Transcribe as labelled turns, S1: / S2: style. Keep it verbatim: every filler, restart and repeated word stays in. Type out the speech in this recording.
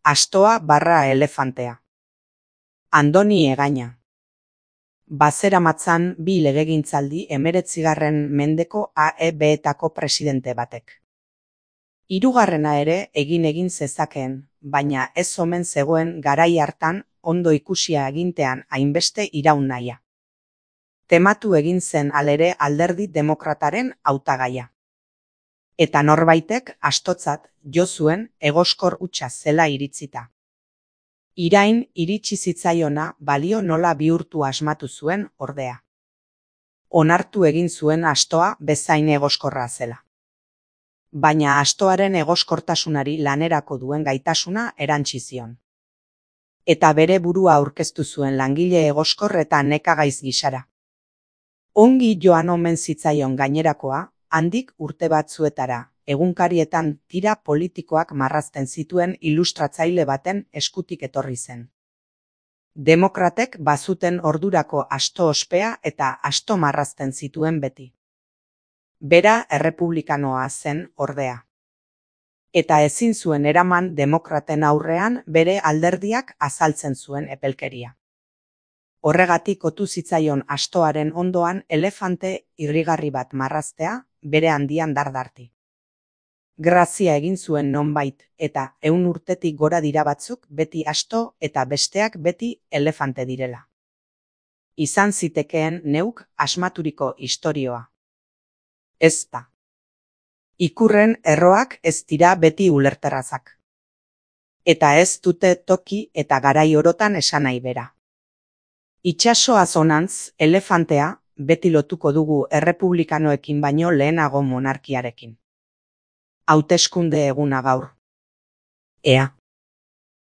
S1: Astoa barra elefantea. Andoni Egaña. Bazeramatzan bi legegintzaldi hemeretzigarren mendeko A E B-etako presidente batek. Hirugarrena ere egin egin zezakeen, baina ez omen zegoen garai hartan ondo ikusia egintean hainbeste iraun nahia. Tematu egin zen alere Alderdi Demokrataren hautagaia. Eta norbaitek astotzat jo zuen egoskor hutsa zela iritzita. Irain iritsi zitzaiona balio nola bihurtu asmatu zuen ordea. Onartu egin zuen astoa bezain egoskorra zela. Baina astoaren egoskortasunari lanerako duen gaitasuna erantsi zion. Eta bere burua aurkeztu zuen langile egoskor eta nekagaiz gisara. Ongi joan omen zitzaion gainerakoa, handik urte batzuetara, egunkarietan tira politikoak marrazten zituen ilustratzaile baten eskutik etorri zen. Demokratek bazuten ordurako asto ospea eta asto marrazten zituen beti. Bera errepublikanoa zen ordea. Eta ezin zuen eraman demokraten aurrean bere alderdiak azaltzen zuen epelkeria. Horregatik otu zitzaion astoaren ondoan elefante irrigarri bat marraztea bere handian dardarti. Grazia egin zuen nonbait eta ehun urtetik gora dira batzuk beti asto eta besteak beti elefante direla. Izan zitekeen neuk asmaturiko istorioa. Ez da. Ikurren erroak ez dira beti ulerterrazak. Eta ez dute toki eta garai orotan esan nahi bera. Itsasoaz honantz, elefantea beti lotuko dugu errepublikanoekin baino lehenago monarkiarekin. Hauteskunde eguna gaur. Ea.